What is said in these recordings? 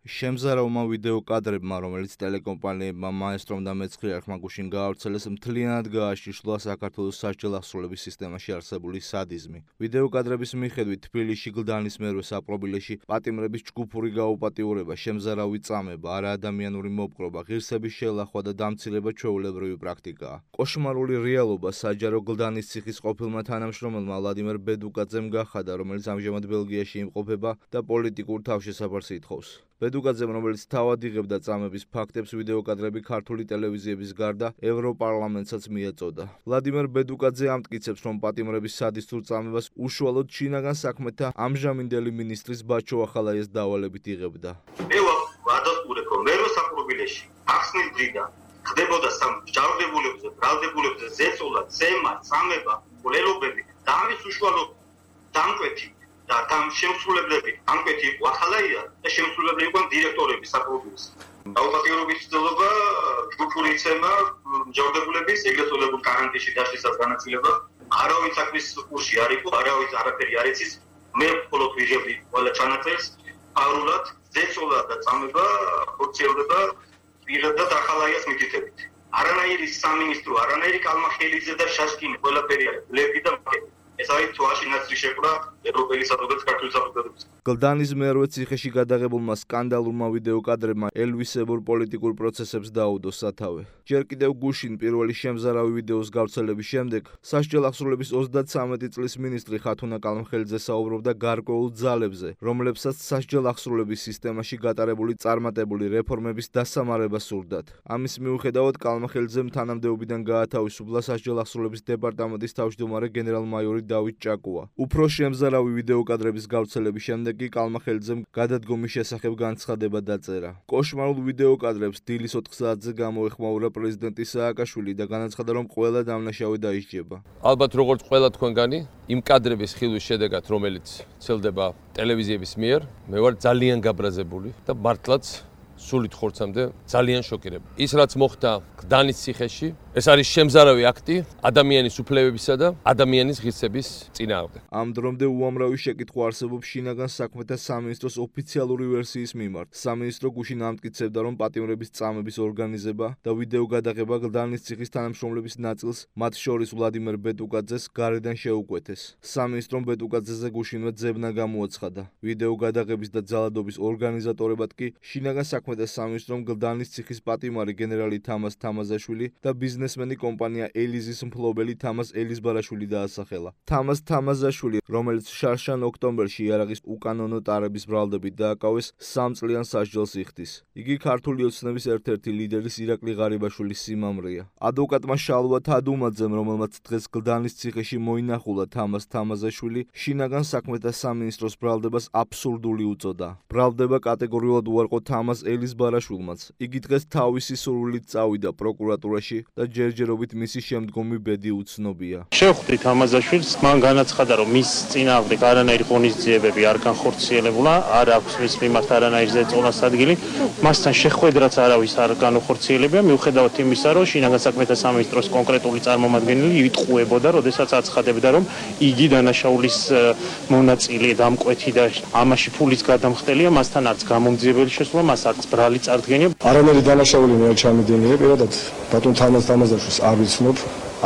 შემზარავმა ვიდეო კადრებმა, რომელიც ტელეკომპანიებმა მაესტრომ და მეცხრიარხმა გუშინ გაავრცელეს, მთლიანად გააშიშლა საქართველოს სასჯელ აღსრულების სისტემაში არსებული სადიზმი. ვიდეო კადრების მიხედვით, თბილისში გლდანის მერვე საპყრობილეში პატიმრების ჯგუფური გაუპატიურება, შემზარავი წამება, არაადამიანური მოპყრობა, ღირსების შელახვა და დამცირება ჩვეულებრივი პრაქტიკაა. კოშმარული რეალობა საჯარო გლდანის ციხის ყოფილმა თანამშრომელმა ვლადიმერ ბედუკაძემ გახადა, რომელიც ამჟამად ბელგიაში იმყოფება და პოლიტიკურ თავშესაფარს ითხოვს. ბედუკაძემ, რომელიც თავად იღებდა წამების ფაქტებს, ვიდეო კადრები ქართული ტელევიზიების გარდა ევროპარლამენტსაც მიეწოდა. ვლადიმერ ბედუკაძე ამტკიცებს, რომ პატიმრების სადისტურ წამებას უშუალოდ შინაგან საქმეთა ამჟამინდელი მინისტრის ბაჩო ახალაიას დავალებით იღებდა. მე ვადასტურებ, რომ მერვე საპყრობილეში ახსნის დღიდან ხდებოდა ჯავრდებულებზე, ბრალდებულებზე ზეწოლა, ზემა, წამება, ყოლელობები და ამის უშუალოდ დამკვეთი და შემსრულებლები ანკვეთი იყო ახალაია და შემსრულებლები იყვნენ დირექტორები საპყრობილეს. დაუპატიურობის ცდილობა, ჯგუფური იცემა, ჯავრდებულების ეგრეთ წოდებულ კარანტინში დაშლისას განაწილება, არავის საქმის კურსი არ იყო, არავის არაფერი არ იცის, მე მხოლოდ ვიღებდი ყველა ჩანაწერს, პარულად ზეწოლა და წამება ხორციელდება პირადად ახალაიას მითითებით. არანაირი სამინისტრო, არანაირი კალმახელიძე და შაშკინი ყველაფერი არის ბლეფი და მაკეტი. ეს არის თვალში ნაცრი შეკვდა ევროპელი საზოგადოების ქართული საზოგადოების. გლდანის მერვე ციხეში გადაღებულმა სკანდალურმა ვიდეო კადრებმა ელვისებურ პოლიტიკურ პროცესებს დაუდო სათავე. ჯერ კიდევ გუშინ პირველი შემზარავი ვიდეოს გავრცელების შემდეგ სასჯელ აღსრულების 33 წლის მინისტრი ხათუნა კალმხელიძე საუბრობდა გარკვეულ ძალებზე, რომლებსაც სასჯელ აღსრულების სისტემაში გატარებული წარმატებული რეფორმების დასამარება სურდათ. ამის მიუხედავად კალმხელიძემ თანამდებობიდან გაათავისუფლა სასჯელ აღსრულების დეპარტამენტის თავმჯდომარე გენერალ-მაიორი დავით ჭაკუა. უფრო შემზარავი ვიდეო კადრების გავრცელების შემდეგ კი კალმახელიძემ გადადგომის შესახებ განცხადება დაწერა. კოშმარულ ვიდეო კადრებს დილის 4 საათზე გამოეხმაურა პრეზიდენტი სააკაშვილი და განაცხადა, რომ ყველა დამნაშავე დაისჯება. ალბათ როგორც ყველა თქვენგანი, იმ კადრების ხილვის შედეგად, რომელიც ვრცელდება ტელევიზიების მიერ, მე ვარ ძალიან გაბრაზებული და მართლაც სულით ხორცამდე ძალიან შოკირებული. ის რაც მოხდა გლდანის ციხეში, ეს არის შემზარავი აქტი ადამიანის უფლებებისა და ადამიანის ღირსების წინააღმდეგ. ამ დრომდე უამრავი შეკითხვა არსებობს შინაგან საქმეთა სამინისტროს ოფიციალური ვერსიის მიმართ. სამინისტრო გუშინ ამტკიცებდა, რომ პატიმრების წამების ორგანიზება და ვიდეო გადაღება გლდანის ციხის თანამშრომლების ნაწილს, მათ შორის ვლადიმერ ბედუკაძეს, გარედან შეუკვეთეს. სამინისტრომ ბედუკაძეზე გუშინვე ძებნა გამოაცხადა. ვიდეო გადაღების და ძალადობის ორგანიზატორებად კი შინაგან საქმეთა სამინისტრომ გლდანის ციხის პატიმარი გენერალი თამას თამაზაშვილი და ბიზნესმენი კომპანია ელიზის მფლობელი თამას ელიზბარაშვილი დაასახელა. თამას თამაზაშვილი, რომელიც შარშან ოქტომბერში იარაღის უკანონო ტარების ბრალდებით დააკავეს, 3 წლიან სასჯელს იხდის. იგი ქართული ოცნების ერთ-ერთი ლიდერის ირაკლი ღარიბაშვილის სიმამრეა. ადვოკატმა შალვა თადუმაძემ, რომელმაც დღეს გლდანის ციხეში მოინახულა თამას თამაზაშვილი, შინაგან საქმეთა სამინისტროს ბრალდებას აბსურდული უწოდა. ბრალდება კატეგორიულად უარყო თამას ელიზბარაშვილმაც. იგი დღეს თავისი სურვილით წავიდა პროკურატურაში და ჯერჯერობით მისი შემდგომი ბედი უცნობია. შევხვდით თამაზაშვილს, მან განაცხადა, რომ მის წინააღმდეგ არანაირი ღონისძიებები არ განხორციელებულა, არ აქვს მის მიმართ არანაირი ზეწოლას ადგილი, მასთან შეხვედრაც არავის არ განხორციელებია, მიუხედავად იმისა, რომ შინაგან საქმეთა სამინისტროს კონკრეტული წარმომადგენელი იტყუებოდა, როდესაც აცხადებდა, რომ იგი დანაშაულის მონაწილე დამკვეთი და ამაში ფულის გადამხდელია, მასთან არც გამომძიებელი შესვლა, მას არც ბრალი წარდგენია. არანაირი დანაშაული მე არ ჩამიდენია, პირადად ბატონ თამაზაშვილს არ ვიცნობ,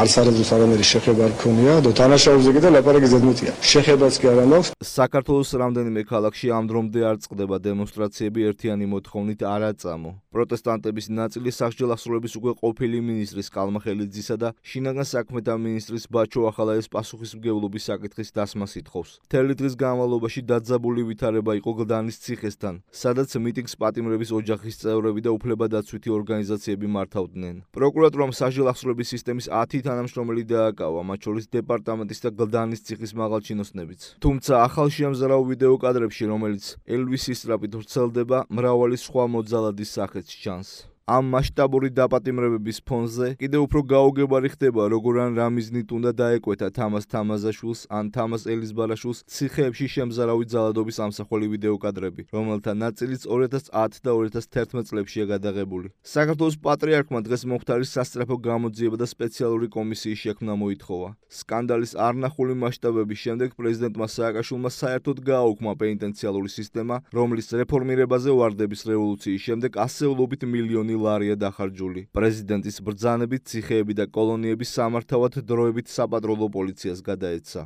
არც არასდროს არანაირი შეხება არ მქონია და დანაშაულზე კი და ლაპარაკი ზედმეტია. შეხებაც კი არ მაქვს. საქართველოს რამდენიმე ქალაქში ამ დრომდე არ წყდება დემონსტრაციები ერთიანი მოთხოვნით არ აწამო. პროტესტანტების ნაწილი სასჯელ აღსრულების უკვე ყოფილი მინისტრის კალმახელიძისა და შინაგან საქმეთა მინისტრის ბაჩო ახალაიას პასუხისმგებლობის საკითხის დასმას ითხოვს. მთელი დღის განმავლობაში დაძაბული ვითარება იყო გლდანის ციხესთან, სადაც მიტინგს პატიმრების ოჯახის წევრები და უფლებადაცვითი ორგანიზაციები მართავდნენ. პროკურატურამ სასჯელ აღსრულების სისტემის 10 თანამშრომელი დააკავა, მათ შორის დეპარტამენტის და გლდანის ციხის მაღალჩინოსნებიც. თუმცა ახალ შემზარავ ვიდეო კადრებში, რომელიც ელვისის სტრაპით ვრცელდება, მრავალი სხვა მოძალადის სახეც ჩანს. ამ მასშტაბური დაპატიმრებების ფონზე კიდევ უფრო გაუგებარი ხდება, როგორ ან რა მიზნით უნდა დაეკვეთა თამაზ თამაზაშვილს ან თამაზ ელიზბარაშვილს ციხეებში შემზარავი ძალადობის ამსახველი ვიდეოკადრები, რომელთა ნაწილიც 2010 და 2011 წლებშია გადაღებული. საქართველოს პატრიარქმა დღეს მომხდარის სასწრაფო გამოძიება და სპეციალური კომისიის შექმნა მოითხოვა. სკანდალის არნახული მასშტაბების შემდეგ პრეზიდენტმა სააკაშვილმა საერთოდ გააუქმა პენიტენციალური სისტემა, რომლის რეფორმირებაზე ვარდების რევოლუციის შემდეგ ასეულობით მილიონი ლარია დახარჯული. პრეზიდენტის ბრძანებით ციხეები და კოლონიები სამართავად დროებით საპატრულო პოლიციას გადაეცა.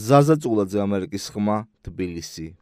ზაზა წულაძე, ამერიკის ხმა, თბილისი.